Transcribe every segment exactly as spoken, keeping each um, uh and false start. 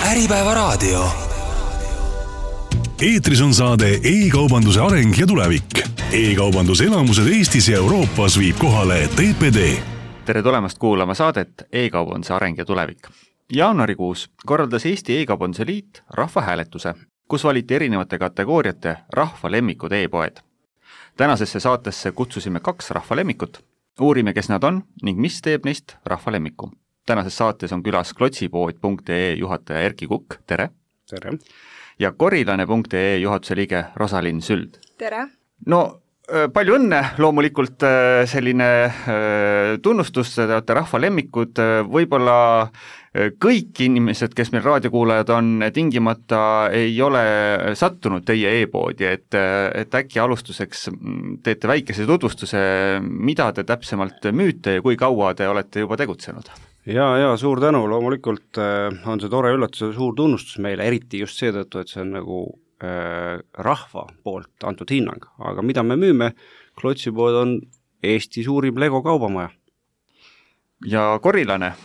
Äripäeva raadio. Eetris on saade E-kaubanduse areng ja tulevik. E-kaubanduselamused Eestis ja Euroopas viib kohale T P D. Tere tulemast kuulama saadet E-kaubanduse areng ja tulevik. Jaanuarikuus korraldas Eesti E-kaubanduse liit rahvahääletuse, kus valiti erinevate kategooriate rahva lemmikud e-poed. Tänasesse saatesse kutsusime kaks rahva lemmikut. Uurime, kes nad on ning mis teeb neist rahva lemmiku. Tänases saates on külas klotsipood punkt ee juhataja Erki Kukk, tere! Tere! Ja korilane punkt ee juhatuse liige Rosalin Süld. Tere! No, palju õnne, loomulikult selline tunnustus, te olete rahva lemmikud, võib-olla kõik inimesed, kes meil raadiokuulajad on, tingimata ei ole sattunud teie e-poodi, et, et äkki alustuseks teete väikese tutvustuse, mida te täpsemalt müüte ja kui kaua te olete juba tegutsenud? Ja, ja suur tänu, loomulikult on see tore üllatus ja suur tunnustus meile, eriti just seetõttu, et see on nagu äh, rahva poolt antud hinnang. Aga mida me müüme? Klotsipood on Eesti suurim Lego kaubamaja. Ja korilane?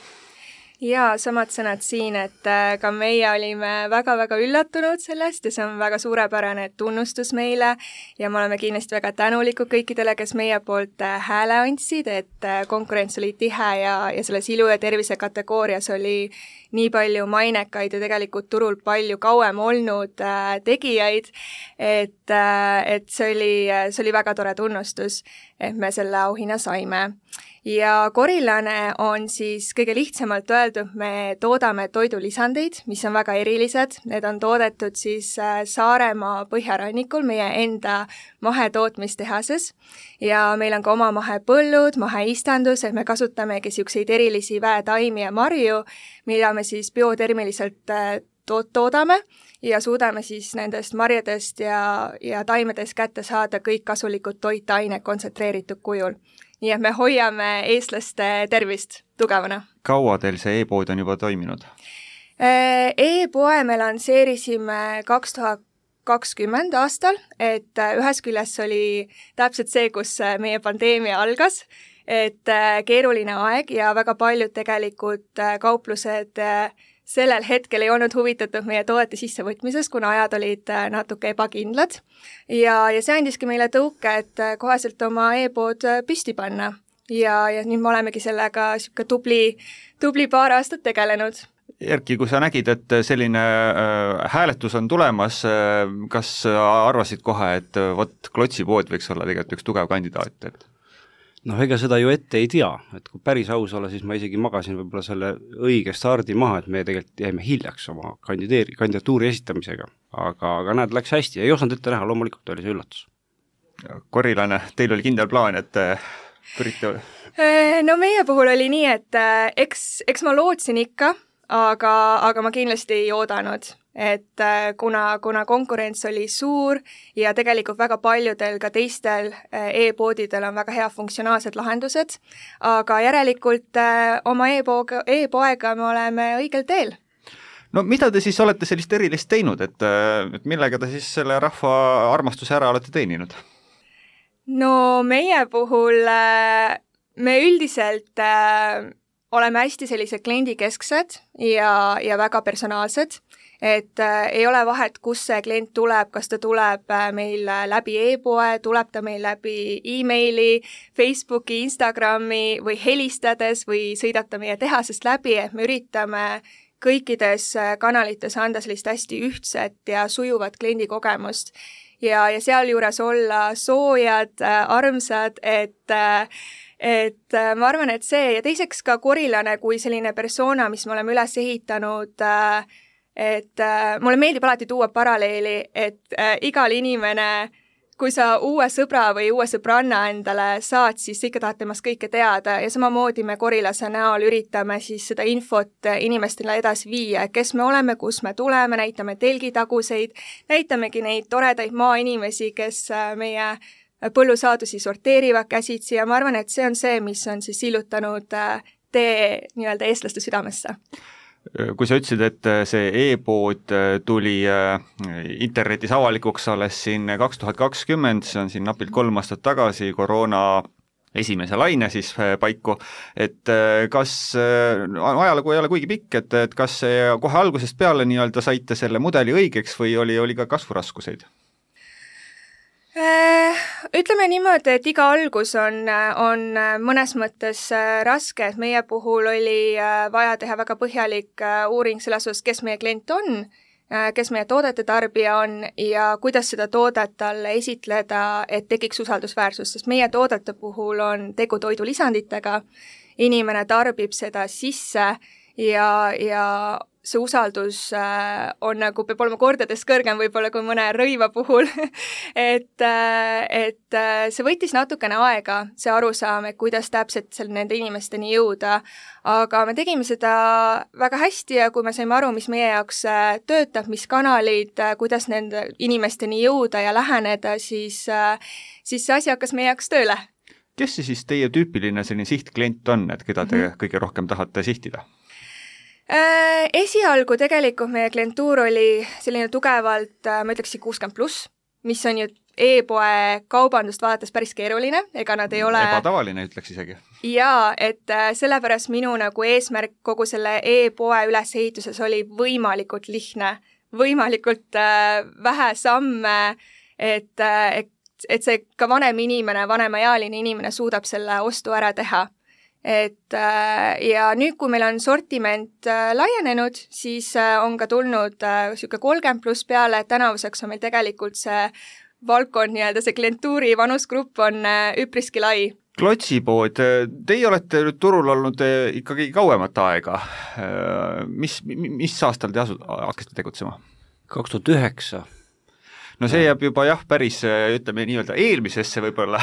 Ja samad sõnad siin, et ka meie olime väga-väga üllatunud sellest ja see on väga suurepärane tunnustus meile ja me oleme kindlasti väga tänulikud kõikidele, kes meie poolt hääle andsid, et konkurents oli tihe ja, ja selles ilu ja tervise kategoorias oli nii palju mainekaid ja tegelikult turul palju kauem olnud äh, tegijaid, et, äh, et see oli, see oli väga tore tunnustus, et me selle auhinna saime. Ja korilane on siis kõige lihtsamalt öeldud, me toodame toidulisandeid, mis on väga erilised. Need on toodetud siis Saaremaa põhjarannikul meie enda mahetootmistehases ja meil on ka oma mahepõllud, maheistandus, et me kasutamegi siukseid erilisi väetaimi ja marju, mida me siis biotermiliselt to- toodame ja suudame siis nendest marjadest ja, ja taimedest kätte saada kõik kasulikud toitained kontsentreeritud kujul. Nii et me hoiame eestlaste tervist tugevana. Kaua teil see e-pood on juba toiminud? E-poe me lansseerisime kaks tuhat kakskümmend aastal, et ühes küljes oli täpselt see, kus meie pandeemia algas, et keeruline aeg ja väga paljud tegelikult kauplused sellel hetkel ei olnud huvitatud meie toodete sissevõtmisest, kuna ajad olid natuke ebakindlad. Ja, ja see andiski meile tõuke, et koheselt oma e-pood püsti panna. Ja, ja nüüd me olemegi sellega siuke tubli, tubli paar aastat tegelenud. Erki, kui sa nägid, et selline äh, hääletus on tulemas, äh, kas arvasid kohe, et võt klotsipood võiks olla tegelikult üks tugev kandidaat? Et... Noh, ega seda ju ette ei tea, et kui päris aus olla, siis ma isegi magasin võib-olla selle õige stardi maha, et me tegelikult jäime hiljaks oma kandideeri, kandidatuuri esitamisega, aga, aga näed, läks hästi, ei osanud ette näha, loomulikult oli see üllatus. Korilane, teil oli kindel plaan, et pürite... No meie puhul oli nii, et eks, eks ma lootsin ikka, aga, aga ma kindlasti ei oodanud, et kuna, kuna konkurents oli suur ja tegelikult väga paljudel ka teistel e-poodidel on väga hea funktsionaalsed lahendused, aga järelikult oma e-poega, e-poega me oleme õigel teel. No mida te siis olete sellist erilist teinud, et, et millega te siis selle rahva armastuse ära olete teeninud? No meie puhul me üldiselt oleme hästi sellised kliendikesksed ja, ja väga personaalsed, et äh, ei ole vahet, kus see klient tuleb, kas ta tuleb äh, meil läbi e-poe, tuleb ta meil läbi e-maili, Facebooki, Instagrami või helistades või sõidab ta meie tehasest läbi, et me üritame kõikides kanalites anda sellist hästi ühtset ja sujuvat kliendikogemust ja, ja sealjuures olla soojad, äh, armsad, et äh, Et ma arvan, et see ja teiseks ka korilane kui selline persona, mis me oleme üles ehitanud, et mulle meeldib alati tuua paralleeli, et igal inimene, kui sa uue sõbra või uue sõbranna endale saad, siis ikka tahad temast kõike teada ja samamoodi me korilase näol üritame siis seda infot inimestele edasi viia, kes me oleme, kus me tuleme, näitame telgitaguseid, näitamegi neid toredaid maainimesi, kes meie põllusaadusi sorteerivad käsitsi ja ma arvan, et see on see, mis on siis sillutanud tee nii-öelda eestlaste südamesse. Kui sa ütlesid, et see e-pood tuli internetis avalikuks alles siin kaks tuhat kakskümmend, see on siin napilt kolm aastat tagasi koroona esimese laine siis paiku, et kas ajalugu ei ole kuigi pikk, et, et kas kohe algusest peale nii-öelda saite selle mudeli õigeks või oli, oli ka kasvuraskuseid? Ütleme niimoodi, et iga algus on, on mõnes mõttes raske, et meie puhul oli vaja teha väga põhjalik uuring selles osas, kes meie klient on, kes meie toodete tarbija on ja kuidas seda toodet talle esitleda, et tekiks usaldusväärsus, sest meie toodete puhul on tegu toidulisanditega, inimene tarbib seda sisse ja, ja see usaldus on nagu, peab olema kordades kõrgem võib-olla kui mõne rõiva puhul et, et see võttis natukene aega, see arusaam, et kuidas täpselt seal nende inimesteni jõuda, aga me tegime seda väga hästi ja kui me saime aru, mis meie jaoks töötab, mis kanalid, kuidas nende inimesteni jõuda ja läheneda, siis, siis see asi hakkas meie jaoks tööle. Kes see siis teie tüüpiline selline sihtklient on, et keda te mm-hmm. kõige rohkem tahate sihtida? Esialgu tegelikult meie klientuur oli selline tugevalt, ma ütleksin kuuskümmend pluss, mis on ju e-poe kaubandust vaadates päris keeruline, ega nad ei ole... Ebatavaline, ütleks isegi. Jaa, et sellepärast minu nagu eesmärk kogu selle e-poe ülesehituses oli võimalikult lihtne, võimalikult vähe samme, et, et, et see ka vanem inimene, vanemaealine inimene suudab selle ostu ära teha. Et ja nüüd, kui meil on sortiment laienenud, siis on ka tulnud siuke kolmkümmend pluss peale, et tänavuseks on meil tegelikult see valdkond, nii-öelda see klientuuri vanusgrupp on üpriski lai. Klotsipood, teie olete nüüd turul olnud ikkagi kauemat aega. Mis, mis aastal te asu, hakkasite tegutsema? kaks tuhat üheksa No see jääb juba jah, päris, ütleme nii-öelda eelmisesse võib-olla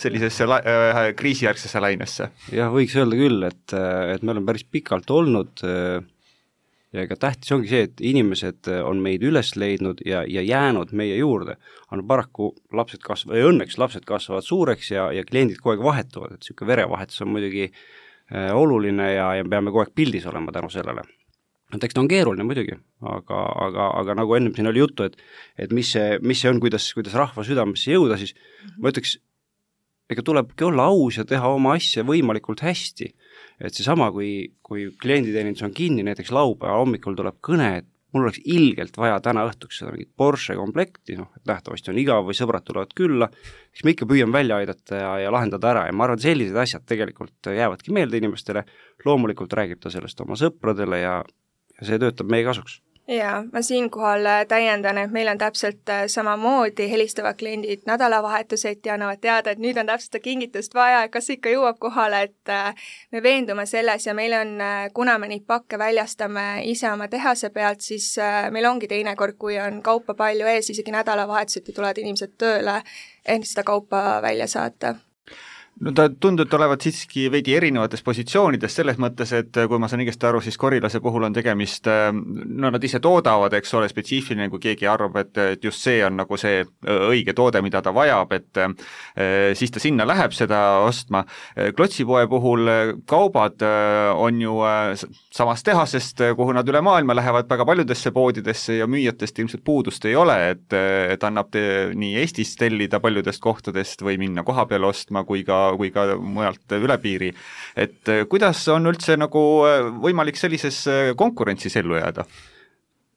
sellisesse la- äh, kriisijärgsesse lainesse. Jah, võiks öelda küll, et, et me oleme päris pikalt olnud ja ega tähtis ongi see, et inimesed on meid üles leidnud ja, ja jäänud meie juurde. Aga paraku lapsed kasvavad, ja õnneks lapsed kasvavad suureks ja, ja kliendid kogu aeg vahetuvad, et selline verevahetus on muidugi äh, oluline ja, ja peame kogu aeg pildis olema tänu sellele. Et eks ta on keeruline muidugi, aga, aga, aga nagu ennem siin oli juttu, et, et mis see, mis see on, kuidas, kuidas rahva südamesse jõuda, siis mm-hmm. ma ütleks, ega tulebki olla aus ja teha oma asja võimalikult hästi. Et seesama, kui, kui klienditeenindus on kinni, näiteks laupäeva hommikul tuleb kõne, et mul oleks ilgelt vaja täna õhtuks seda mingit Porsche komplekti, noh, et nähtavasti on igav või sõbrad tulevad külla, siis me ikka püüame välja aidata ja, ja lahendada ära ja ma arvan, et sellised asjad tegelikult jäävadki meelde inimestele, loomulikult räägib ta sellest oma sõpradele ja ja see töötab meie kasuks. Jaa, ma siinkohal täiendan, et meil on täpselt samamoodi helistavad kliendid nädalavahetused ja annavad teada, et nüüd on täpselt kingitust vaja, kas ikka jõuab kohale, et me veendume selles ja meil on, kuna me neid pakke väljastame ise oma tehase pealt, siis meil ongi teinekord, kui on kaupa palju ees, isegi nädalavahetused tulevad inimesed tööle, et seda kaupa välja saata. No ta tundub olevat siiski veidi erinevates positsioonides selles mõttes, et kui ma saan õigesti aru, siis Korilase puhul on tegemist, no nad ise toodavad, eks ole, spetsiifiline, kui keegi arvab, et, et just see on nagu see õige toode, mida ta vajab, et siis ta sinna läheb seda ostma. Klotsipoe puhul kaubad on ju samast tehasest, kuhu nad üle maailma lähevad väga paljudesse poodidesse ja müüjatest ilmselt puudust ei ole, et, et annab te, nii Eestis tellida paljudest kohtadest või minna koha peale ostma, kui ka kui ka mujalt üle piiri. Et kuidas on üldse nagu võimalik sellises konkurentsis ellu jääda?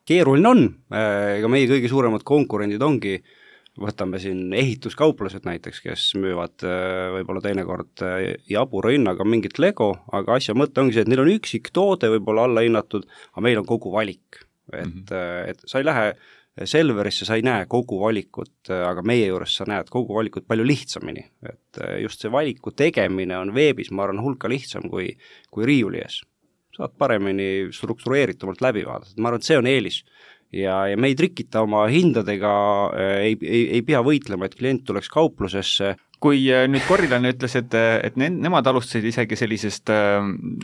Keeruline on, ega meie kõige suuremad konkurendid ongi, võtame siin ehituskauplased näiteks, kes müüvad võib-olla teinekord jabura hinnaga mingit Lego, aga asja mõte ongi see, et neil on üksik toode võib-olla alla hinnatud, aga meil on kogu valik. Et, mm-hmm. et sa ei lähe Selverisse, sa ei näe kogu valikut, aga meie juures sa näed kogu valikut palju lihtsamini. Et just see valiku tegemine on veebis, ma arvan, hulka lihtsam kui, kui riiuli ees. Saad paremini struktureeritumalt läbi vaadata. Ma arvan, et see on eelis. Ja, ja me ei trikita oma hindadega, ei, ei, ei pea võitlema, et klient tuleks kauplusesse. Kui nüüd Korilane ütles, et, et ne, nemad alustasid isegi sellisest,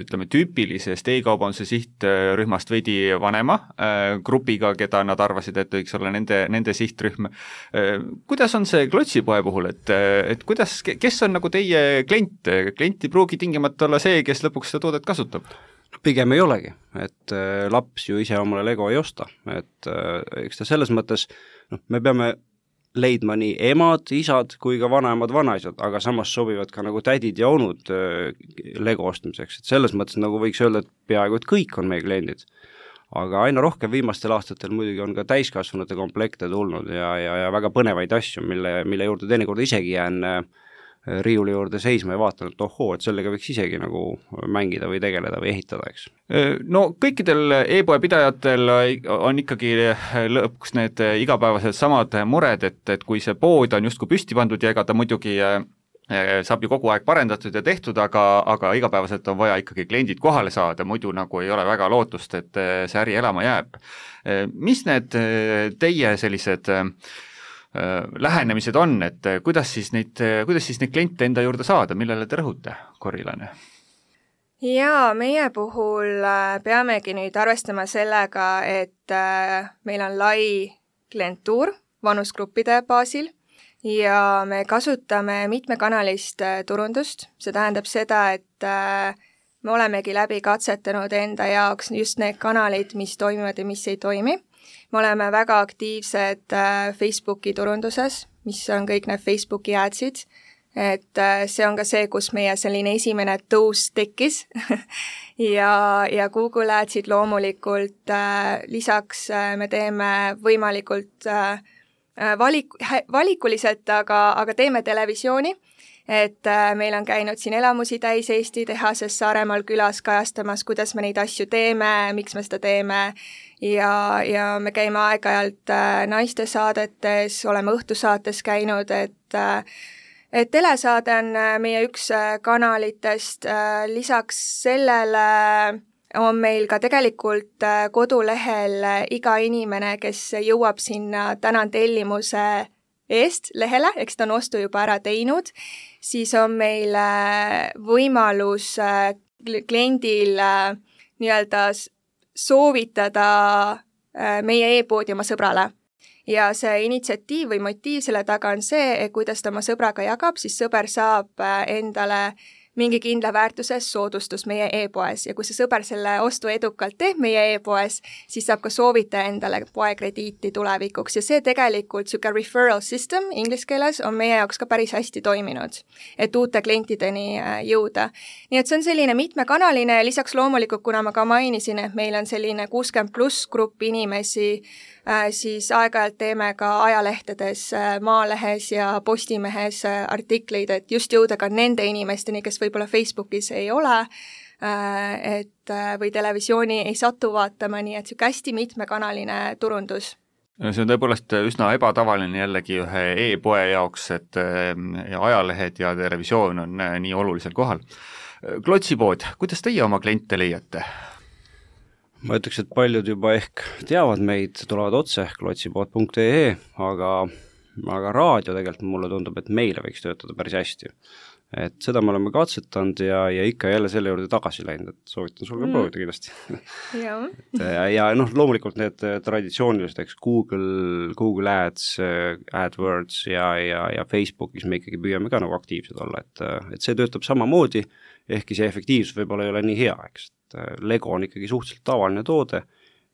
ütleme, tüüpilisest e-kaubanduse sihtrühmast veidi vanema grupiga, keda nad arvasid, et võiks olla nende, nende sihtrühm. Kuidas on see Klotsipoe puhul, et, et kuidas, kes on nagu teie klient? Klient ei pruugi tingimata olla see, kes lõpuks seda toodet kasutab? Pigem ei olegi, et laps ju ise omale Lego ei osta, et eks ta selles mõttes, noh, me peame leidma nii emad, isad kui ka vanaemad, vanaisad, aga samas sobivad ka nagu tädid ja onud Lego ostmiseks, et selles mõttes nagu võiks öelda, et peaaegu et kõik on meie kliendid. Aga aina rohkem viimastel aastatel muidugi on ka täiskasvanute komplekte tulnud ja, ja, ja väga põnevaid asju, mille, mille juurde teinekord isegi jään riiuli juurde seisma ja vaatan, et ohoo, et sellega võiks isegi nagu mängida või tegeleda või ehitada, eks. No kõikidel e-poe pidajatel on ikkagi lõpuks need igapäevased samad mured, et, et kui see pood on justkui püsti pandud ja ega ta muidugi saab ju kogu aeg parendatud ja tehtud, aga, aga igapäevaselt on vaja ikkagi kliendid kohale saada, muidu nagu ei ole väga lootust, et see äri elama jääb. Mis need teie sellised lähenemised on, et kuidas siis neid, kuidas siis neid kliente enda juurde saada, millele te rõhute, Korilane? Jaa, meie puhul peamegi nüüd arvestama sellega, et meil on lai klientuur vanusgruppide baasil ja me kasutame mitmekanalist turundust. See tähendab seda, et me olemegi läbi katsetanud enda jaoks just need kanalid, mis toimivad ja mis ei toimi. Me oleme väga aktiivsed Facebooki turunduses, mis on kõik need Facebooki adsid, et see on ka see, kus meie selline esimene tõus tekkis ja, ja Google adsid loomulikult lisaks me teeme võimalikult valik, valikuliselt, aga, aga teeme televisiooni, et meil on käinud siin elamusi täis Eesti tehases Saaremaal külas kajastamas, kuidas me neid asju teeme, miks me seda teeme ja, ja me käime aeg-ajalt naiste saadetes, oleme õhtusaates käinud, et, et telesaade on meie üks kanalitest, lisaks sellele on meil ka tegelikult kodulehel iga inimene, kes jõuab sinna tänan tellimuse eest lehele, eks ta on ostu juba ära teinud, siis on meil võimalus kliendil nii-öelda soovitada meie e-poodi oma sõbrale. Ja see initsiatiiv või motiiv selle taga on see, et kuidas ta oma sõbraga jagab, siis sõber saab endale mingi kindla väärtuses soodustus meie e-poes ja kui see sõber selle ostu edukalt teeb meie e-poes, siis saab ka soovita endale poekrediiti tulevikuks ja see tegelikult siuke referral system inglise keeles on meie jaoks ka päris hästi toiminud, et uute klientideni jõuda. Nii et see on selline mitmekanaline ja lisaks loomulikult, kuna ma ka mainisin, et meil on selline kuuskümmend pluss grupp inimesi, siis aeg-ajalt teeme ka ajalehtedes, Maalehes ja Postimehes artikleid, et just jõuda ka nende inimesteni, kes võib-olla Facebookis ei ole, et või televisiooni ei satu vaatama, nii et see hästi mitmekanaline turundus. See on tõepoolest üsna ebatavaline jällegi ühe e-poe jaoks, et ajalehed ja televisioon on nii olulisel kohal. Klotsipood, kuidas teie oma kliente leiate? Ma ütleks, et paljud juba ehk teavad meid, tulevad otse klotsipood punkt ee, aga, aga raadio tegelikult mulle tundub, et meile võiks töötada päris hästi. Et seda me oleme katsetanud ja, ja ikka jälle selle juurde tagasi läinud, et soovitan sul ka mm. proovida kindlasti. ja, ja, ja noh, loomulikult need traditsioonilised, eks Google, Google Ads, AdWords ja, ja, ja Facebookis me ikkagi püüame ka nagu aktiivsed olla, et, et see töötab samamoodi, ehkki see efektiivsus võib-olla ei ole nii hea, eks. Lego on ikkagi suhteliselt tavaline toode,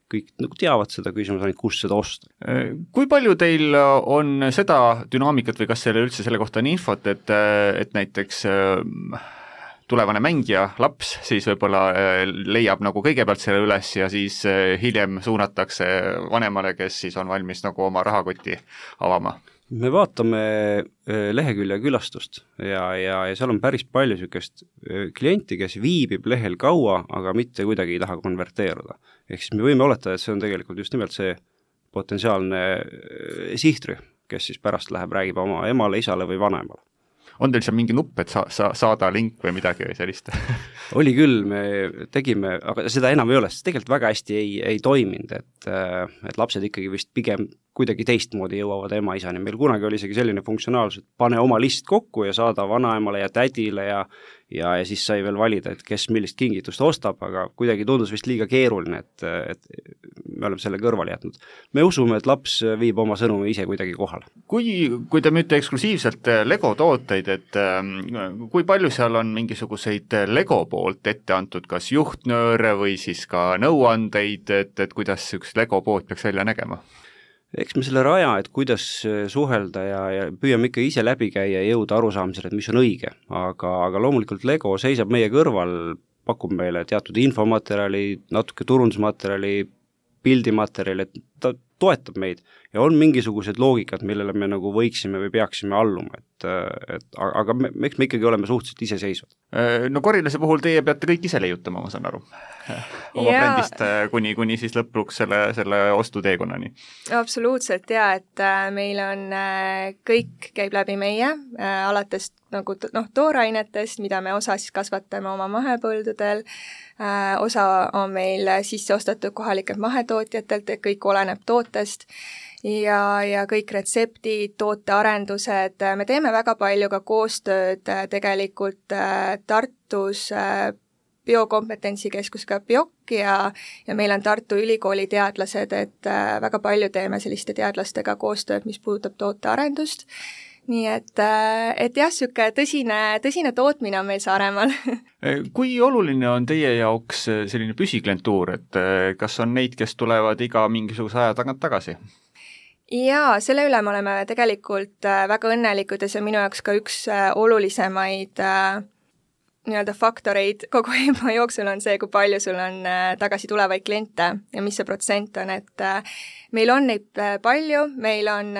kõik nagu teavad seda, küsimus on, kus seda osta. Kui palju teil on seda dünaamikat või kas selle üldse selle kohta on infot, et, et näiteks tulevane mängija, laps, siis võib-olla leiab nagu kõigepealt selle üles ja siis hiljem suunatakse vanemale, kes siis on valmis nagu oma rahakoti avama? Me vaatame lehekülje külastust ja, ja, ja seal on päris palju niisugust klienti, kes viibib lehel kaua, aga mitte kuidagi ei taha konverteeruda. Ehk siis me võime oletada, et see on tegelikult just nimelt see potentsiaalne sihtrühm, kes siis pärast läheb, räägib oma emale, isale või vanemale. On teil seal mingi nupp, et sa, sa, saada link või midagi või sellist? Oli küll, me tegime, aga seda enam ei ole, sest tegelikult väga hästi ei, ei toiminud, et, et lapsed ikkagi vist pigem kuidagi teistmoodi jõuavad ema isani. Meil kunagi oli isegi selline funktsionaalsus, et pane oma list kokku ja saada vanaemale ja tädile ja, ja, ja siis sai veel valida, et kes millist kingitust ostab, aga kuidagi tundus vist liiga keeruline, et, et me oleme selle kõrvale jätnud. Me usume, et laps viib oma sõnumi ise kuidagi kohale. Kui, kui te müüte eksklusiivselt Lego tooteid, et kui palju seal on mingisuguseid Lego poolt ette antud, kas juhtnööre või siis ka nõuandeid, et, et kuidas üks Lego pood peaks välja nägema? eks me selle raja, et kuidas suhelda ja, ja püüame ikka ise läbi käia ja jõuda arusaamisele, et mis on õige, aga, aga loomulikult Lego seisab meie kõrval, pakub meile teatud infomaterjali, natuke turundusmaterjali, pildimaterjali, et ta toetab meid ja on mingisugused loogikad, millele me nagu võiksime või peaksime alluma, et, et aga me, eks me ikkagi oleme suhteliselt iseseisvad. No Korilase puhul teie peate kõik ise leiutama, ma saan aru. Oma ja... brändist kuni, kuni siis lõpuks selle, selle ostuteekonnani. Absoluutselt, ja, et meil on, kõik käib läbi meie, alates nagu noh, toorainetest, mida me osa siis kasvatame oma mahepõldudel, osa on meil sisse ostetud kohalikelt mahetootjatelt, et kõik oleneb tootest ja, ja kõik retseptid, tootearendused, me teeme väga palju ka koostööd tegelikult Tartus biokompetentsikeskusega BIOK ja, ja meil on Tartu Ülikooli teadlased, et väga palju teeme selliste teadlastega koostööd, mis puudutab tootearendust. Nii et, et jah, siuke tõsine, tõsine tootmine on meil Saaremaal. Kui oluline on teie jaoks selline püsiklientuur, et kas on neid, kes tulevad iga mingisuguse aja tagant tagasi? Jaa, selle üle me oleme tegelikult väga õnnelikud ja see on minu jaoks ka üks olulisemaid nii-öelda faktoreid kogu EMO jooksul on see, kui palju sul on tagasi tulevaid kliente ja mis see protsent on, et meil on neid palju, meil on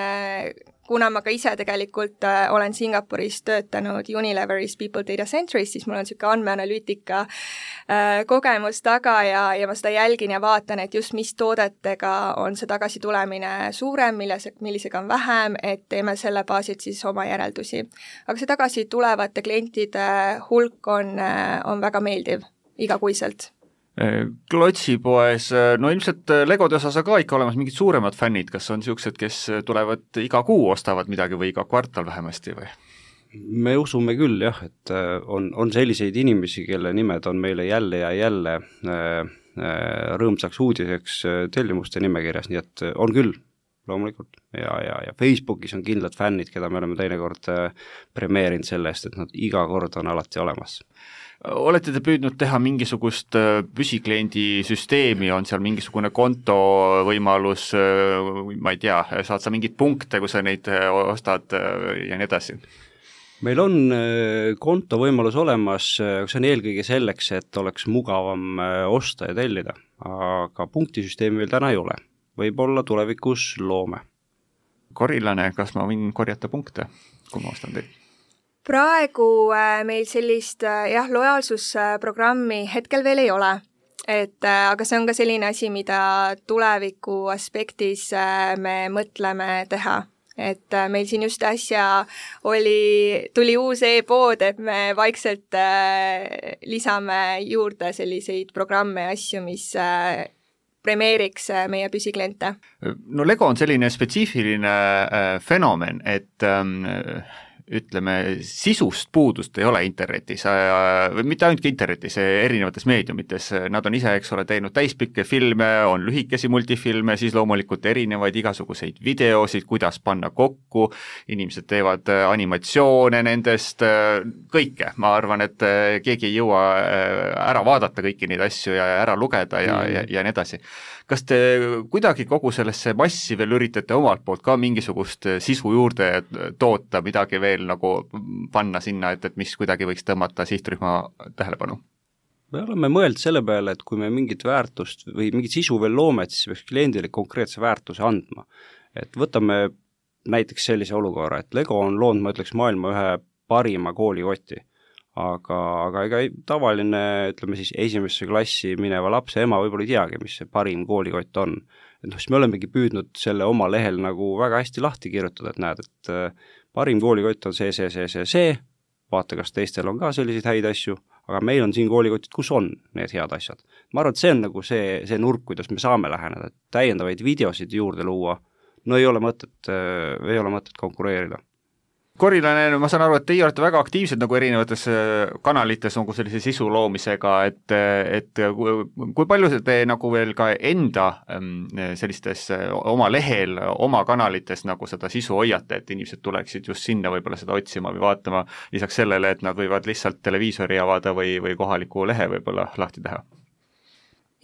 kuna ma ka ise tegelikult äh, olen Singapuris töötanud Unileveris People Data Centeris, siis mul on niisugune andmeanalüütika äh, kogemus taga ja, ja ma seda jälgin ja vaatan, et just mis toodetega on see tagasitulemine suurem, milles, millisega on vähem, et teeme selle baasilt siis oma järeldusi. Aga see tagasi tulevate klientide hulk on, äh, on väga meeldiv igakuiselt. Klotsipoes, no ilmselt Legode osas on ka ikka olemas mingid suuremad fännid, kas on niisugused, kes tulevad iga kuu ostavad midagi või iga kvartal vähemasti või? Me usume küll jah, et on, on selliseid inimesi, kelle nimed on meile jälle ja jälle rõõmsaks uudiseks tellimuste nimekirjas, nii et on küll loomulikult ja, ja, ja Facebookis on kindlad fännid, keda me oleme teinekord premeerinud selle eest, et nad iga kord on alati olemas. Olete te püüdnud teha mingisugust püsikliendi süsteemi, on seal mingisugune konto võimalus, ma ei tea, saad sa mingid punkte, kui sa neid ostad ja nii edasi? Meil on konto võimalus olemas, see on eelkõige selleks, et oleks mugavam osta ja tellida, aga punktisüsteemi veel täna ei ole. Võib-olla tulevikus loome. Korilane, kas ma võin korjata punkte, kui ma ostan teid? Praegu meil sellist jah, lojaalsusprogrammi hetkel veel ei ole, et, aga see on ka selline asi, mida tuleviku aspektis me mõtleme teha. Et meil siin just äsja oli, tuli uus e-pood, et me vaikselt lisame juurde selliseid programme ja asju, mis premeeriks meie püsikliente. No Lego on selline spetsiifiline fenomen, et ütleme, sisust puudust ei ole internetis, või mitte ainult internetis, erinevates meediumites, nad on ise, eks ole, teinud täispikke filme, on lühikesi multifilme, siis loomulikult erinevaid igasuguseid videosid, kuidas panna kokku, inimesed teevad animatsioone nendest, kõike, ma arvan, et keegi ei jõua ära vaadata kõiki neid asju ja ära lugeda ja, mm. ja, ja nii edasi. Kas te kuidagi kogu sellesse massi veel üritate omalt poolt ka mingisugust sisu juurde toota, midagi veel nagu panna sinna, et, et mis kuidagi võiks tõmmata sihtrühma tähelepanu? Me oleme mõelnud selle peale, et kui me mingit väärtust või mingit sisu veel loome, siis peaks kliendile konkreetse väärtuse andma. Et võtame näiteks sellise olukorra, et Lego on loonud, ma ütleks, maailma ühe parima koolikoti. Aga, aga ega tavaline, ütleme siis esimesse klassi mineva lapse ema võib-olla ei teagi, mis see parim koolikott on. Et noh, siis me olemegi püüdnud selle oma lehel nagu väga hästi lahti kirjutada, et näed, et parim koolikott on see, see, see, see, see, vaata, kas teistel on ka selliseid häid asju, aga meil on siin koolikotid, kus on need head asjad. Ma arvan, et see on nagu see, see nurk, kuidas me saame läheneda, et täiendavaid videosid juurde luua, no ei ole mõtet, ei ole mõtet konkureerida. Korilane, ma saan aru, et teie olete väga aktiivsed nagu erinevates kanalites nagu sellise sisu loomisega, et, et kui palju te nagu veel ka enda sellistes oma lehel, oma kanalites nagu seda sisu hoiate, et inimesed tuleksid just sinna võib-olla seda otsima või vaatama lisaks sellele, et nad võivad lihtsalt televiisori avada või, või kohaliku lehe võib-olla lahti teha?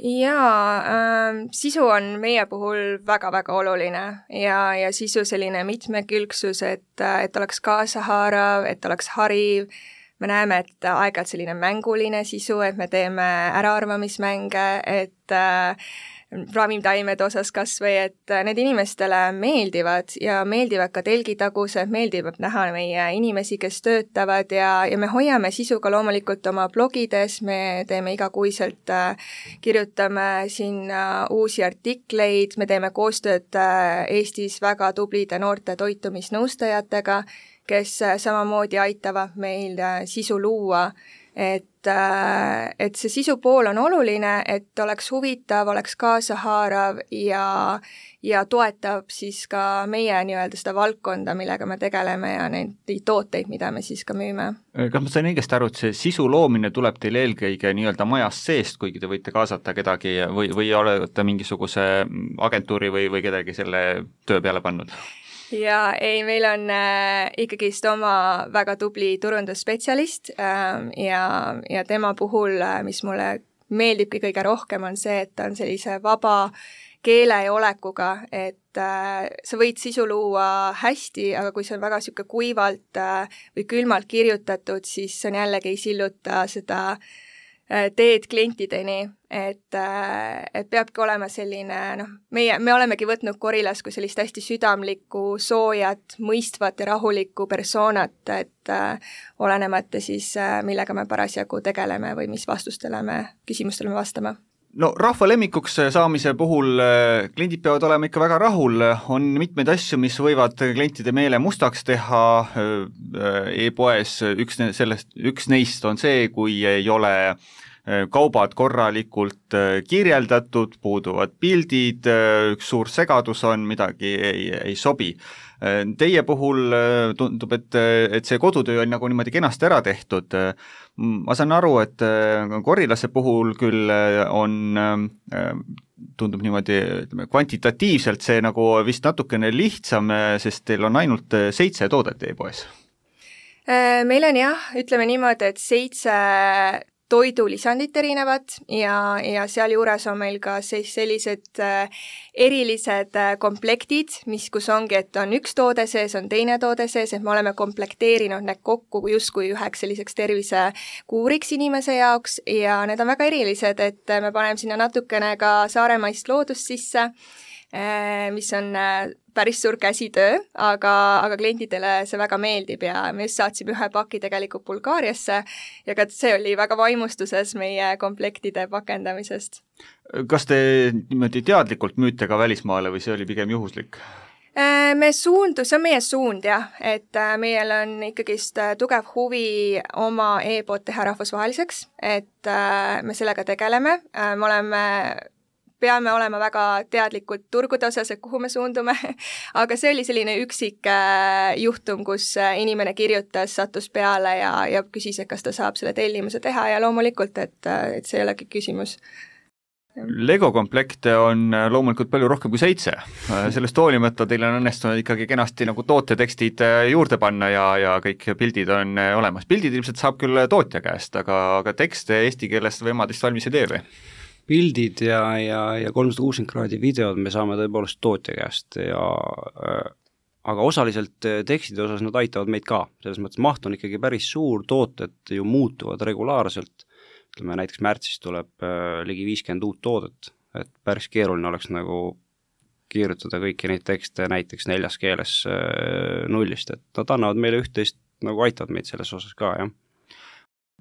Jaa, äh, sisu on meie puhul väga-väga oluline ja, ja sisu selline mitmekülgsus, et, et oleks kaasahaarav, et oleks hariv. Me näeme, et aeg-ajalt selline mänguline sisu, et me teeme äraarvamismänge, et äh, ravimtaimede osas kas või, et need inimestele meeldivad ja meeldivad ka telgitagused, meeldib näha meie inimesi, kes töötavad ja, ja me hoiame sisu ka loomulikult oma blogides, me teeme igakuiselt, kirjutame sinna uusi artikleid, me teeme koostööd Eestis väga tublide noorte toitumisnõustajatega, kes samamoodi aitavad meil sisu luua, et, et see sisu pool on oluline, et oleks huvitav, oleks kaasahaarav ja, ja toetab siis ka meie nii-öelda seda valdkonda, millega me tegeleme ja neid tooteid, mida me siis ka müüme. Kas ma sain õigesti aru, et see sisu loomine tuleb teil eelkõige nii-öelda majast seest, kuigi te võite kaasata kedagi või, või olete mingisuguse agentuuri või, või kedagi selle töö peale pannud? Ja ei, meil on äh, ikkagist oma väga tubli turundusspetsialist äh, ja, ja tema puhul, äh, mis mulle meeldibki kõige rohkem, on see, et ta on sellise vaba keele ja olekuga, et äh, sa võid sisu luua hästi, aga kui see on väga niisugune kuivalt äh, või külmalt kirjutatud, siis see on jällegi ei silluta seda äh, teed klientideni, et, et peabki olema selline, noh, meie, me olemegi võtnud Gorillas kui sellist hästi südamlikku, soojat, mõistvat ja rahulikku persoonat, et äh, olenemata siis, äh, millega me parasjagu tegeleme või mis vastustele me, küsimustele me vastame. No rahva lemmikuks saamise puhul kliendid peavad olema ikka väga rahul, on mitmeid asju, mis võivad klientide meele mustaks teha e-poes, üks, sellest, üks neist on see, kui ei ole kaubad korralikult kirjeldatud, puuduvad pildid, üks suur segadus on, midagi ei, ei sobi. Teie puhul tundub, et, et see kodutöö on nagu niimoodi kenasti ära tehtud. Ma saan aru, et Gorilase puhul küll on, tundub niimoodi, ütleme, kvantitatiivselt see nagu vist natukene lihtsam, sest teil on ainult seitse toodet e-poes. Meil on jah, ütleme niimoodi, et seitse toidulisandit erinevad ja, ja seal juures on meil ka siis sellised äh, erilised äh, komplektid, mis, kus ongi, et on üks toode sees, on teine toode sees, et me oleme komplekteerinud need kokku justkui üheks selliseks tervisekuuriks inimese jaoks ja need on väga erilised, et me paneme sinna natukene ka saaremaist loodust sisse, äh, mis on äh, päris suur käsitöö, aga, aga klientidele see väga meeldib ja me just saatsime ühe paki tegelikult Bulgaariasse ja ka see oli väga vaimustuses meie komplektide pakendamisest. Kas te niimoodi teadlikult müüte ka välismaale või see oli pigem juhuslik? Me suundu, see on meie suund jah, et meil on ikkagist tugev huvi oma e-pood teha rahvusvaheliseks, et me sellega tegeleme, me oleme peame olema väga teadlikult turgude osas, et kuhu me suundume, aga see oli selline üksik juhtum, kus inimene kirjutas, sattus peale ja, ja küsis, et kas ta saab selle tellimuse teha ja loomulikult, et, et see ei olegi küsimus. Lego komplekte on loomulikult palju rohkem kui seitse. Sellest hoolimata teil on õnnestunud ikkagi kenasti nagu tootetekstid juurde panna ja, ja kõik pildid on olemas. Pildid ilmselt saab küll tootja käest, aga, aga tekste eesti keelest või emadist valmis ei tee või? Pildid ja, ja, ja kolmsada kuuskümmend kraadi videod me saame tõepoolest tootja käest ja äh, aga osaliselt tekstide osas nad aitavad meid ka, selles mõttes maht on ikkagi päris suur, tooted ju muutuvad regulaarselt, ütleme näiteks märtsis tuleb äh, ligi viiskümmend uut toodet, et päris keeruline oleks nagu kirjutada kõiki neid tekste näiteks neljas keeles äh, nullist, et nad annavad meile üht-teist, nagu aitavad meid selles osas ka, jah.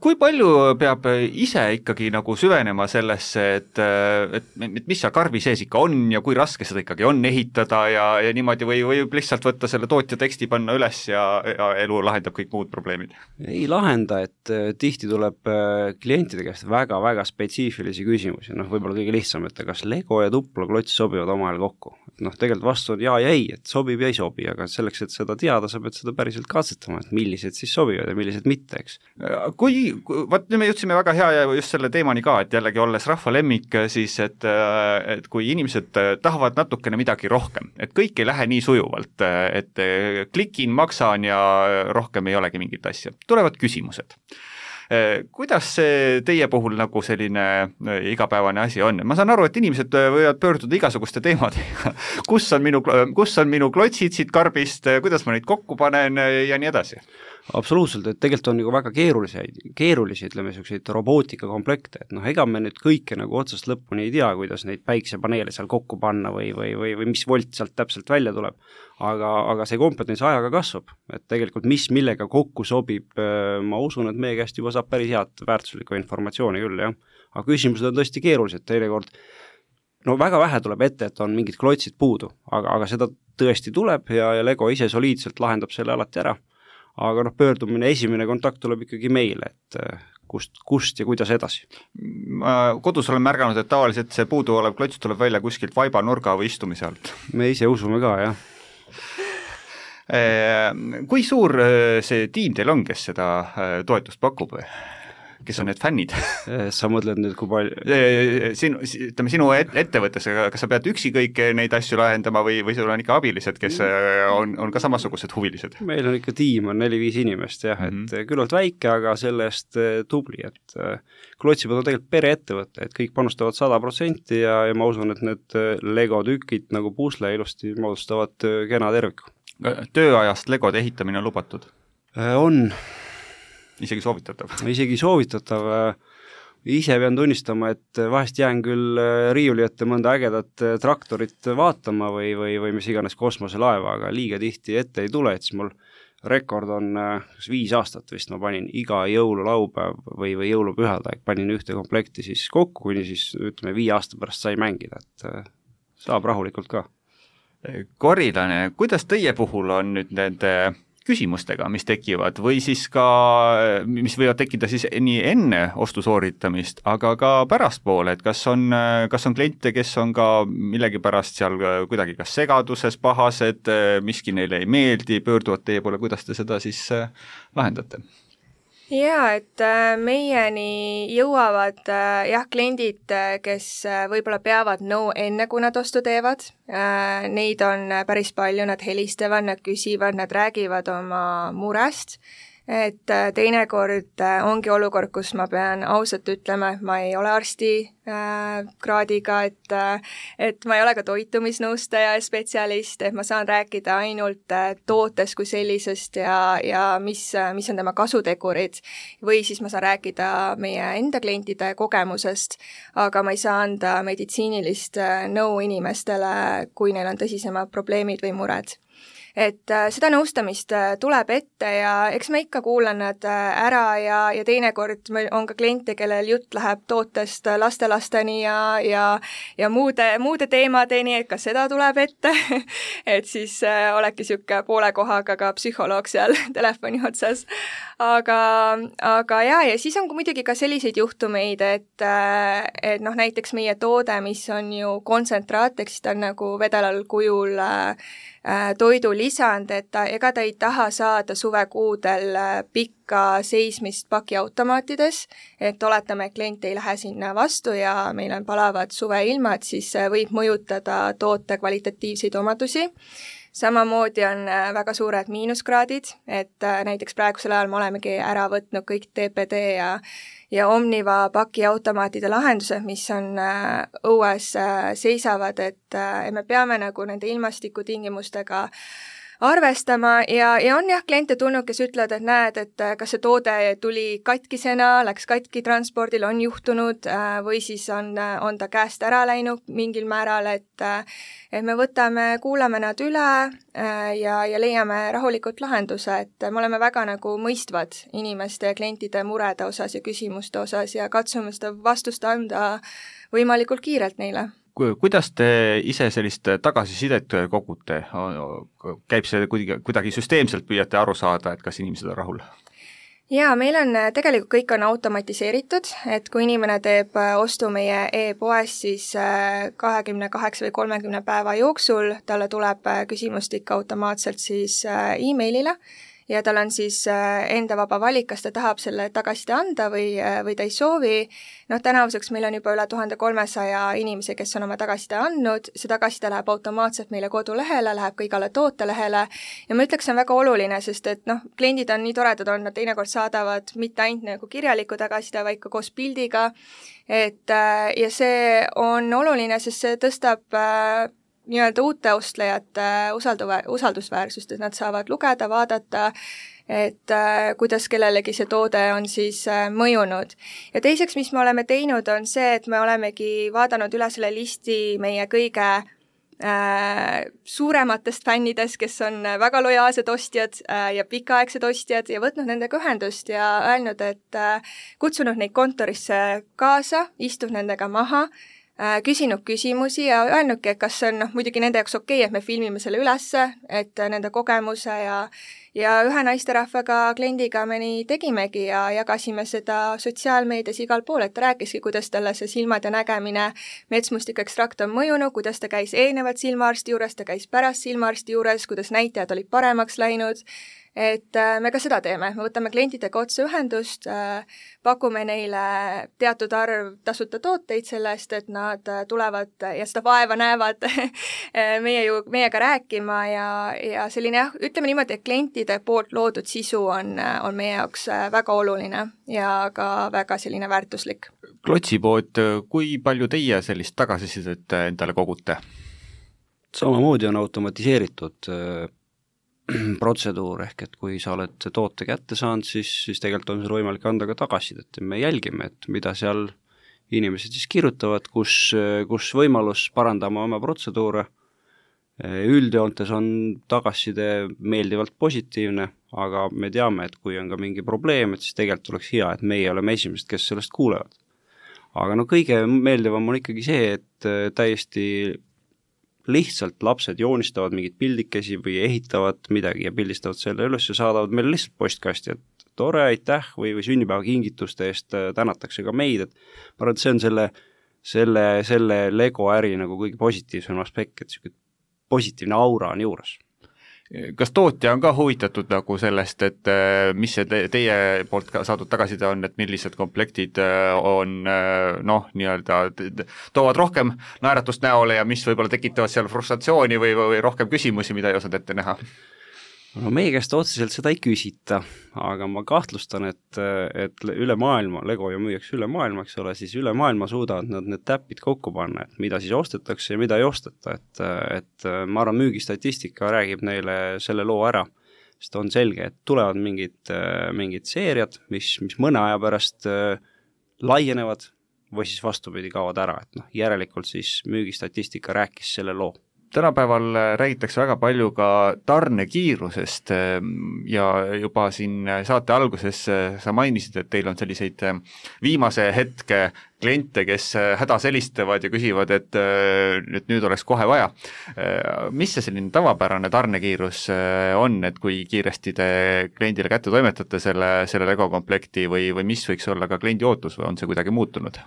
Kui palju peab ise ikkagi nagu süvenema sellesse, et, et, et mis seal karbi sees ikka on ja kui raske seda ikkagi on ehitada ja, ja niimoodi või võib lihtsalt võtta selle tootja teksti panna üles ja, ja elu lahendab kõik muud probleemid? Ei lahenda, et tihti tuleb klientide käest väga-väga spetsiifilisi küsimusi, noh võib-olla kõige lihtsam, et kas Lego ja tuplaklots sobivad omavahel kokku. Noh tegelikult vastu on jaa ja ei, et sobib ja ei sobi, aga selleks, et seda teada, sa pead seda päriselt katsetama, et millised siis sobivad ja millised mitte, eks. Kui Vaat nüüd me jõudsime väga hea ja just selle teemani ka, et jällegi olles rahva lemmik, siis et, et kui inimesed tahavad natukene midagi rohkem, et kõik ei lähe nii sujuvalt, et klikin, maksan ja rohkem ei olegi mingit asja, tulevad küsimused. Kuidas see teie puhul nagu selline igapäevane asi on? Ma saan aru, et inimesed võivad pöörduda igasuguste teemadega. Kus on minu, kus on minu klotsid siit karbist, kuidas ma neid kokku panen ja nii edasi? Absoluutselt, et tegelikult on nagu väga keerulisi, keerulisi, ütleme, selliseid robootikakomplekte, et noh, ega me nüüd kõike nagu otsast lõpuni ei tea, kuidas neid päiksepaneele seal kokku panna või, või, või, või mis volt sealt täpselt välja tuleb, aga, aga see kompetents ajaga kasvab, et tegelikult mis millega kokku sobib, ma usun, et meie käest juba saab päris head väärtuslikku informatsiooni küll, jah. Aga küsimused on tõesti keerulised, teinekord no väga vähe tuleb ette, et on mingid klotsid puudu, aga, aga seda tõesti tuleb ja, ja Lego ise soliidselt lahendab selle alati ära. Aga noh, pöördumine, esimene kontakt tuleb ikkagi meile, et kust, kust ja kuidas edasi. Ma kodus olen märganud, et tavaliselt see puudu olev klots tuleb välja kuskilt vaiba nurga või istumise alt. Me ise usume ka, jah. Kui suur see tiim teil on, kes seda toetust pakub? Kes on need fännid? Sa mõtled nüüd, kui palju... Sinu, ütleme, sinu ettevõttes, kas sa pead üksi kõik neid asju lahendama või, või sul on ikka abilised, kes on, on ka samasugused huvilised? Meil on ikka tiim, on neli-viis inimest, jah, et mm-hmm. küllalt väike, aga selle eest tubli, et Klotsipod on tegelikult pereettevõte, et kõik panustavad sada protsenti ja, ja ma usun, et need Lego tükid nagu pusle ilusti moodustavad kena terviku. Tööajast Legode ehitamine on lubatud? On. Isegi soovitatav? Isegi soovitatav. Ise pean tunnistama, et vahest jään küll riiuli ette mõnda ägedat traktorit vaatama või, või, või mis iganes kosmoselaeva, aga liiga tihti ette ei tule, et siis mul rekord on viis aastat vist, ma panin iga jõululaupäev või, või jõulupühadaeg, panin ühte komplekti siis kokku, kuni siis ütleme viie aasta pärast sai mängida, et saab rahulikult ka. Korilane, kuidas teie puhul on nüüd nende küsimustega, mis tekivad või siis ka, mis võivad tekkida siis nii enne ostu sooritamist, aga ka pärastpoole, et kas on, kas on kliente, kes on ka millegi pärast seal kuidagi kas segaduses, pahased, miski neile ei meeldi, pöörduvad teie poole, kuidas te seda siis lahendate? Jaa, et meieni jõuavad jah, kliendid, kes võib-olla peavad nõu enne, kui nad ostu teevad. Neid on päris palju, nad helistavad, nad küsivad, nad räägivad oma murest. Et teinekord ongi olukord, kus ma pean ausalt ütlema, et ma ei ole arsti äh, kraadiga, et, et ma ei ole ka toitumisnõustaja ja spetsialist, et ma saan rääkida ainult tootest kui sellisest ja, ja mis, mis on tema kasutegurid. Või siis ma saan rääkida meie enda klientide kogemusest, aga ma ei saa anda meditsiinilist nõu inimestele, kui neil on tõsisemad probleemid või mured. Et äh, seda nõustamist äh, tuleb ette ja eks ma ikka kuulan nad äh, ära ja, ja teinekord meil on ka kliente, kellel jutt läheb tootest lastelasteni ja, ja, ja muude, muude teemadeni, et kas seda tuleb ette et siis äh, olekki siuke poole kohaga ka psühholoog seal telefoni otsas. Aga, aga jaa, ja siis on muidugi ka selliseid juhtumeid, et, äh, et noh, näiteks meie toode, mis on ju kontsentraat, eks ta on nagu vedelal kujul äh, toidu lisand, et ta, ega ta ei taha saada suvekuudel pikka seismist pakiautomaatides, et oletame, et klient ei lähe sinna vastu ja meil on palavad suveilmad, siis võib mõjutada toote kvalitatiivseid omadusi. Samamoodi on väga suured miinuskraadid, et näiteks praegusel ajal me olemegi ära võtnud kõik T P D ja, ja Omniva pakiautomaatide lahendused, mis on õues seisavad, et me peame nagu nende ilmastikutingimustega arvestama ja, ja on jah kliente tulnud, kes ütlevad, et näed, et kas see toode tuli katkisena, läks katki transpordil, on juhtunud või siis on, on ta käest ära läinud mingil määral, et, et me võtame, kuulame nad üle ja, ja leiame rahulikult lahenduse, et me oleme väga nagu mõistvad inimeste ja klientide murede osas ja küsimuste osas ja katsume seda vastust anda võimalikult kiirelt neile. Kuidas te ise sellist tagasisidet kogute? Käib see kuidagi, kuidagi süsteemselt püüate aru saada, et kas inimesed on rahul? Jaa, meil on tegelikult kõik on automatiseeritud, et kui inimene teeb ostu meie e-poes, siis kahekümne kaheksa või kolmekümne päeva jooksul talle tuleb küsimustik automaatselt siis e-mailile ja tal on siis enda vaba valik, kas ta tahab selle tagasiside anda või, või ta ei soovi. Noh, tänavuseks meil on juba üle tuhande kolmesaja inimese, kes on oma tagasiside andnud, see tagasiside läheb automaatselt meile kodulehele, läheb ka igale tootelehele ja ma ütleks, see on väga oluline, sest et noh, kliendid on nii toredad on, nad teinekord saadavad mitte ainult nagu kirjaliku tagasiside, vaid ka koos pildiga, et ja see on oluline, sest see tõstab nii-öelda uute ostlejate usalduva, usaldusväärsust, et nad saavad lugeda, vaadata, et äh, kuidas kellelegi see toode on siis äh, mõjunud. Ja teiseks, mis me oleme teinud, on see, et me olemegi vaadanud üle selle listi meie kõige äh, suurematest fännidest, kes on väga lojaalsed ostjad äh, ja pikaaegsed ostjad ja võtnud nendega ühendust ja öelnud, et äh, kutsunud neid kontorisse kaasa, istunud nendega maha, küsinud küsimusi ja öelnudki, et kas see on noh, muidugi nende jaoks okei, et me filmime selle ülesse, et nende kogemuse ja ja ühe naisterahvaga kliendiga me nii tegimegi ja jagasime seda sotsiaalmeedias igal pool, et ta rääkiski, kuidas talle see silmad ja nägemine metsmustiku ekstrakt on mõjunud, kuidas ta käis eelnevalt silmaarsti juures, ta käis pärast silmaarsti juures, kuidas näitajad olid paremaks läinud, et me ka seda teeme, me võtame klientidega otse ühendust, pakume neile teatud arv tasuta tooteid selle eest, et nad tulevad ja seda vaeva näevad meie ju, meiega rääkima ja, ja selline jah, ütleme niimoodi, et klientide poolt loodud sisu on, on meie jaoks väga oluline ja ka väga selline väärtuslik. Klotsipood, kui palju teie sellist tagasisidet endale kogute? Samamoodi on automatiseeritud protseduur, ehk et kui sa oled toote kätte saanud, siis, siis tegelikult on sul võimalik anda ka tagasisidet ja me jälgime, et mida seal inimesed siis kirjutavad, kus, kus võimalus parandama oma protseduure. Üldjoontes on tagasiside meeldivalt positiivne, aga me teame, et kui on ka mingi probleem, et siis tegelikult oleks hea, et meie oleme esimesed, kes sellest kuulevad. Aga no kõige meeldivam on ikkagi see, et täiesti lihtsalt lapsed joonistavad mingid pildikesi või ehitavad midagi ja pildistavad selle üles ja saadavad meile lihtsalt postkasti, et tore, aitäh või, või sünnipäeva kingituste eest tänatakse ka meid, et ma arvan, et see on selle, selle, selle Lego äri nagu kõige positiivsem aspekt, et selline positiivne aura on juures. Kas tootja on ka huvitatud nagu sellest, et mis see te, teie poolt saadud tagasiside on, et millised komplektid on noh, nii-öelda toovad rohkem naeratust näole ja mis võib-olla tekitavad seal frustratsiooni või, või rohkem küsimusi, mida ei osanud ette näha? No meie käest otseselt seda ei küsita, aga ma kahtlustan, et, et üle maailma, Lego ju müüaks üle maailma, eks ole, siis üle maailma suudavad nad need täpid kokku panna, et mida siis ostetakse ja mida ei osteta, et, et ma arvan, müügistatistika räägib neile selle loo ära, sest on selge, et tulevad mingid, mingid seeriad, mis, mis mõne aja pärast laienevad või siis vastupidi kaovad ära, et noh, järelikult siis müügistatistika rääkis selle loo. Tänapäeval räägitakse väga palju ka tarnekiirusest ja juba siin saate alguses sa mainisid, et teil on selliseid viimase hetke kliente, kes hädas helistavad ja küsivad, et, et nüüd oleks kohe vaja. Mis see selline tavapärane tarnekiirus on, et kui kiiresti te kliendile kätte toimetate selle, selle Lego komplekti või, või mis võiks olla ka kliendi ootus või on see kuidagi muutunud?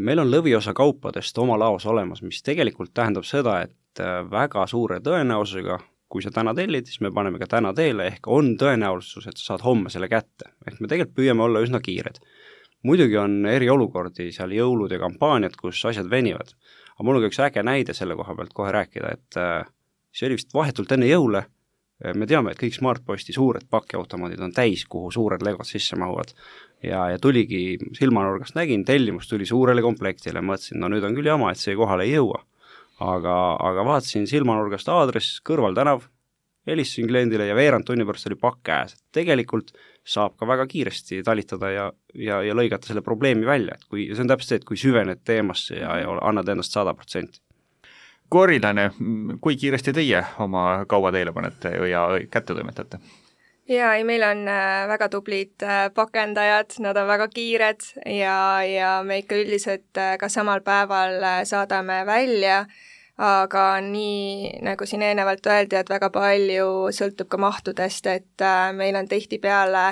Meil on lõviosa kaupadest oma laos olemas, mis tegelikult tähendab seda, et väga suure tõenäosusega, kui sa täna tellid, siis me paneme ka täna teele, ehk on tõenäosus, et sa saad homme selle kätte. Ehk me tegelikult püüame olla üsna kiired. Muidugi on eri olukordi, seal jõulud ja kampaaniad, kus asjad venivad. Aga mul on ka üks äge näide selle koha pealt kohe rääkida, et see oli vist vahetult enne jõule. Me teame, et kõik Smartposti suured pakiautomaadid on täis, kuhu suured legod sisse mahuvad. Ja, ja tuligi silmanurgast nägin, tellimus tuli suurele komplektile, mõtlesin, no nüüd on küll jama, et see kohale ei jõua. Aga, aga vaatasin silmanurgast aadress, kõrval tänav, helistasin kliendile ja veerand tunni pärast oli pakk käes. Tegelikult saab ka väga kiiresti talitada ja, ja, ja lõigata selle probleemi välja. Et kui, see on täpselt see, et kui süvened teemasse ja, ja annad endast sada protsenti. Korilane, kui kiiresti teie oma kauba teile panete ja kätte toimetate? Jaa, ei, meil on väga tublid pakendajad, nad on väga kiired ja, ja me ikka üldiselt ka samal päeval saadame välja, aga nii, nagu siin eelnevalt öeldi, et väga palju sõltub ka mahtudest, et meil on tihtipeale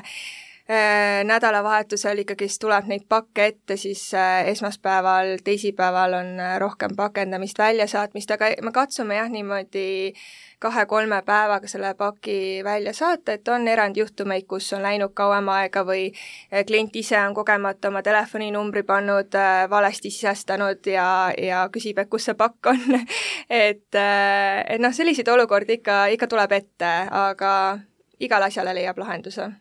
nädalavahetusel ikkagi tuleb neid pakke ette, siis esmaspäeval, teisipäeval on rohkem pakendamist, väljasaatmist, aga me katsume jah niimoodi kahe-kolme päevaga selle paki välja saata, et on erandjuhtumeid, kus on läinud kauem aega või klient ise on kogemata oma telefoninumbri pannud, valesti sisestanud ja, ja küsib, et kus see pakk on. et, et noh, selliseid olukordi ikka, ikka tuleb ette, aga igal asjale leiab lahenduse.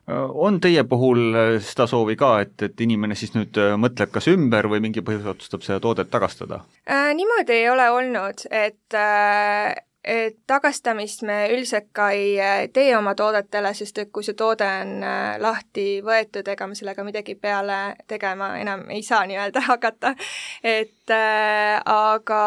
On teie puhul seda soovi ka, et, et inimene siis nüüd mõtleb kas ümber või mingi põhjus otsustab seda toodet tagastada? Äh, niimoodi ei ole olnud, et äh, et tagastamist me üldiselt ka ei tee oma toodetele, sest et kui see toode on lahti võetud, ega me sellega midagi peale tegema enam ei saa nii-öelda hakata. Et äh, aga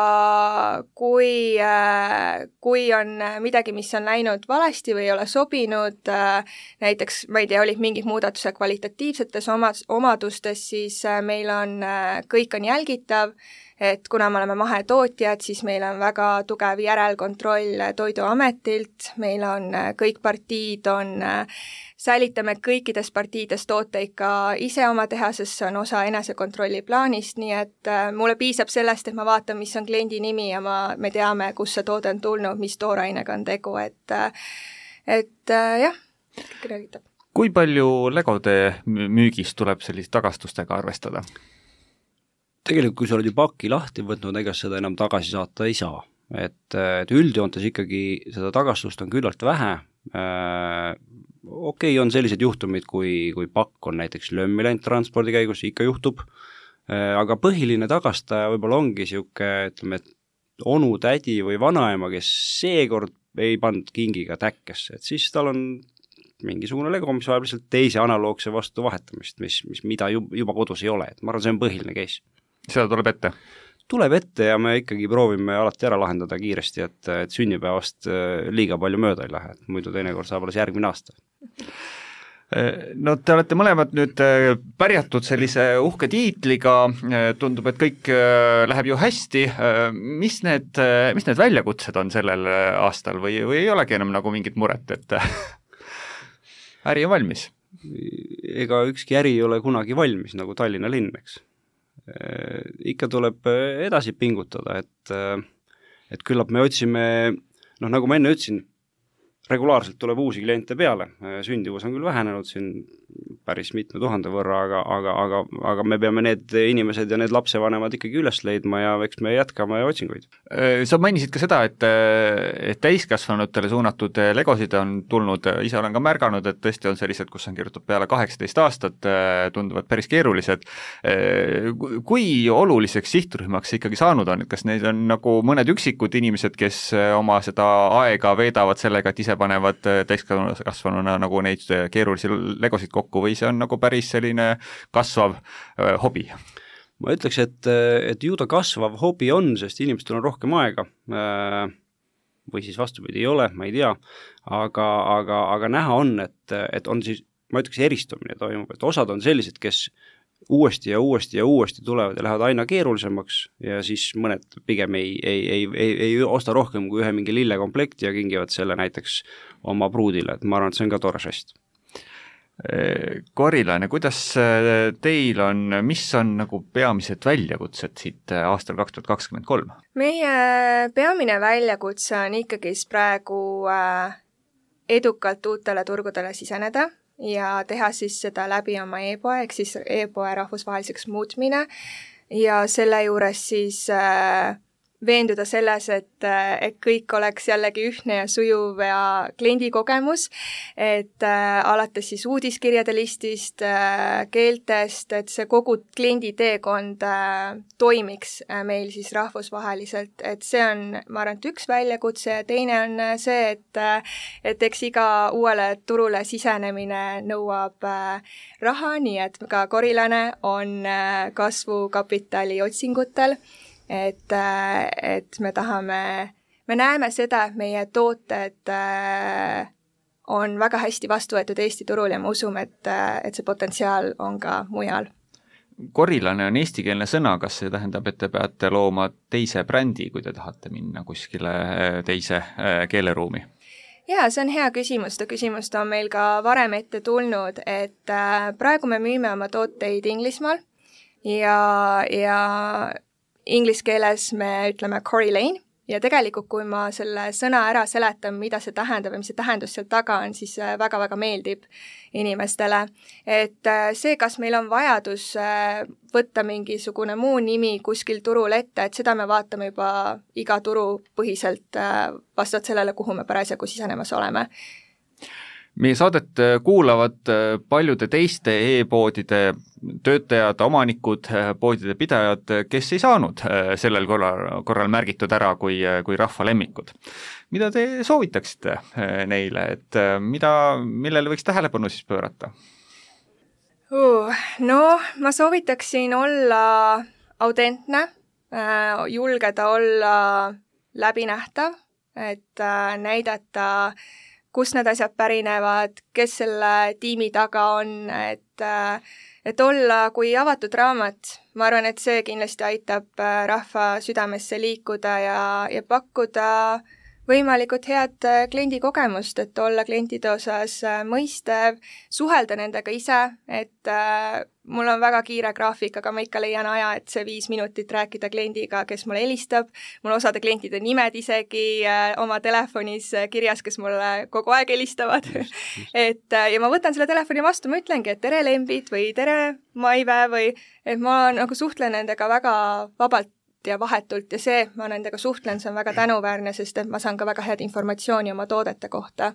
kui, äh, kui on midagi, mis on läinud valesti või ei ole sobinud, äh, näiteks, ma ei tea, olid mingid muudatused kvalitatiivsetes oma, omadustes, siis äh, meil on, äh, kõik on jälgitav, et kuna me oleme mahetootjad, siis meil on väga tugev järelkontroll Toiduametilt, meil on kõik partiid, on, säilitame kõikides partiides tooteid ka ise oma tehases, see on osa enesekontrolli plaanist, nii et mulle piisab sellest, et ma vaatan, mis on kliendi nimi ja ma, me teame, kus see toode on tulnud, mis toorainega on tegu, et, et jah, kõik räägitab. Kui palju legode müügis tuleb sellist tagastustega arvestada? Tegelikult, kui sa oled ju pakki lahti võtnud, ega seda enam tagasi saata ei saa. Et, et üldjoontes ikkagi seda tagastust on küllalt vähe. Äh, okei, okay, on sellised juhtumid, kui, kui pakk on näiteks lömmi läinud transpordi käigus, ikka juhtub. Äh, aga põhiline tagastaja võib-olla ongi siuke, ütleme, et onu, tädi või vanaema, kes seekord ei pannud kingiga täkkesse. Et siis tal on mingisugune lego, mis vajab lihtsalt teise analoogse vastu vahetamist, mis, mis mida juba kodus ei ole. Et ma arvan, see on põhiline case. Seda tuleb ette? Tuleb ette ja me ikkagi proovime alati ära lahendada kiiresti, et, et sünnipäevast liiga palju mööda ei lähe, et muidu teinekord saab alles järgmine aasta. No te olete mõlemad nüüd pärjatud sellise uhke tiitliga, tundub, et kõik läheb ju hästi. Mis need, mis need väljakutsed on sellel aastal või, või ei olegi enam nagu mingit muret, et äri on valmis? Ega ükski äri ei ole kunagi valmis, nagu Tallinna linn, eks. Ikka tuleb edasi pingutada, et, et küllap me otsime, noh nagu ma enne ütlesin, regulaarselt tuleb uusi kliente peale, sündivus on küll vähenenud siin päris mitme tuhande võrra, aga, aga, aga, aga me peame need inimesed ja need lapsevanemad ikkagi üles leidma ja eks me jätkame otsinguid. Sa mainisid ka seda, et, et täiskasvanutele suunatud legosid on tulnud, ise olen ka märganud, et tõesti on sellised, kus on kirjutatud peale kaheksateist aastat, tunduvad päris keerulised. Kui oluliseks sihtrühmaks ikkagi saanud on, et kas neid on nagu mõned üksikud inimesed, kes oma seda aega veedavad sellega, et ise panevad täiskasvanuna nagu neid keerulisi legosid kokku või see on nagu päris selline kasvav äh, hobi? Ma ütleks, et, et ju ta kasvav hobi on, sest inimestel on rohkem aega äh, või siis vastupidi ei ole, ma ei tea, aga, aga, aga näha on, et, et on siis, ma ütleks, eristumine toimub, et osad on sellised, kes uuesti ja uuesti ja uuesti tulevad ja lähevad aina keerulisemaks ja siis mõned pigem ei, ei, ei, ei, ei osta rohkem kui ühe mingi lillekomplekti ja kingivad selle näiteks oma pruudile, et ma arvan, et see on ka tore žest. Korilaine, kuidas teil on, mis on nagu peamised väljakutsed siit aastal kaks tuhat kakskümmend kolm? Meie peamine väljakutse on ikkagi praegu edukalt uutele turgudele siseneda ja teha siis seda läbi oma e-poe, ehk siis e-poe rahvusvaheliseks muutmine ja selle juures siis äh, veenduda selles, et, et kõik oleks jällegi ühtne ja sujuv ja kliendikogemus, et äh, alates siis uudiskirjade listist, äh, keeltest, et see kogu kliendi teekond äh, toimiks äh, meil siis rahvusvaheliselt, et see on, ma arvan, et üks väljakutse ja teine on see, et, äh, et eks iga uuele turule sisenemine nõuab äh, raha, nii et ka Korilaine on äh, kasvukapitali otsingutel, et, et me tahame, me näeme seda, et meie tooted on väga hästi vastu võetud Eesti turul ja me usume, et, et see potentsiaal on ka mujal. Korilaine on eestikeelne sõna, kas see tähendab, et te peate looma teise brändi, kui te tahate minna kuskile teise keeleruumi? jaa, see on hea küsimus, ta küsimust on meil ka varem ette tulnud, et praegu me müüme oma tooteid Inglismaal ja, ja inglise keeles me ütleme Corey Lane ja tegelikult, kui ma selle sõna ära seletan, mida see tähendab ja mis see tähendus seal taga on, siis väga-väga meeldib inimestele. Et see, kas meil on vajadus võtta mingisugune muu nimi kuskil turul ette, et seda me vaatame juba iga turu põhiselt vastavalt sellele, kuhu me parasjagu sisenemas oleme. Meie saadet kuulavad paljude teiste e-poodide töötajad, omanikud, poodide pidajad, kes ei saanud sellel korral, korral märgitud ära kui, kui rahva lemmikud. Mida te soovitaksite neile, et mida, millele võiks tähelepanu siis pöörata? Uh, no, ma soovitaksin olla autentne, julgeda olla läbinähtav, et näidata kus need asjad pärinevad, kes selle tiimi taga on, et, et olla kui avatud raamat. Ma arvan, et see kindlasti aitab rahva südamesse liikuda ja, ja pakkuda võimalikult head kliendi kogemust, et olla klientide osas mõistev, suhelda nendega ise, et äh, mul on väga kiire graafik, aga ma ikka leian aja, et see viis minutit rääkida kliendiga, kes mulle helistab, mul osade klientide nimed isegi äh, oma telefonis kirjas, kes mulle kogu aeg helistavad. et äh, ja ma võtan selle telefoni vastu, ma ütlengi, et tere lembid või tere Maive või et ma nagu suhtlen nendega väga vabalt ja vahetult ja see, ma nendega suhtlen, see on väga tänuväärne, sest et ma saan ka väga head informatsiooni oma toodete kohta.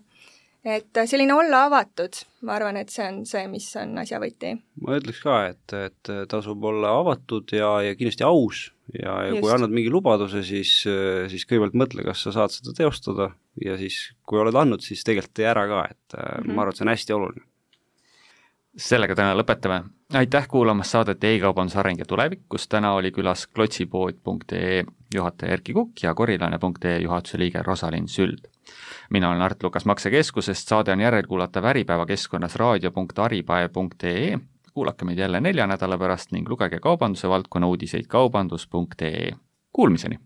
Et selline olla avatud, ma arvan, et see on see, mis on asja võti. Ma ütleks ka, et, et tasub olla avatud ja, ja kindlasti aus ja, ja kui annad mingi lubaduse, siis, siis kõigepealt mõtle, kas sa saad seda teostada ja siis, kui oled andnud, siis tegelikult tee ära ka, et mm-hmm. ma arvan, et see on hästi oluline. Sellega täna lõpetame. Aitäh kuulamast saadet E-kaubanduse areng ja tulevik, kus täna oli külas klotsipood punkt ee juhataja Erki Kukk ja korilane punkt ee juhatuse liige Rosalind Süld. Mina olen Art Lukas Maksekeskusest, saade on järelkuulatav Äripäeva keskkonnas raadio punkt aripae punkt ee. Kuulake meid jälle nelja nädala pärast ning lugege kaubanduse valdkonna uudiseid kaubandus punkt ee. Kuulmiseni!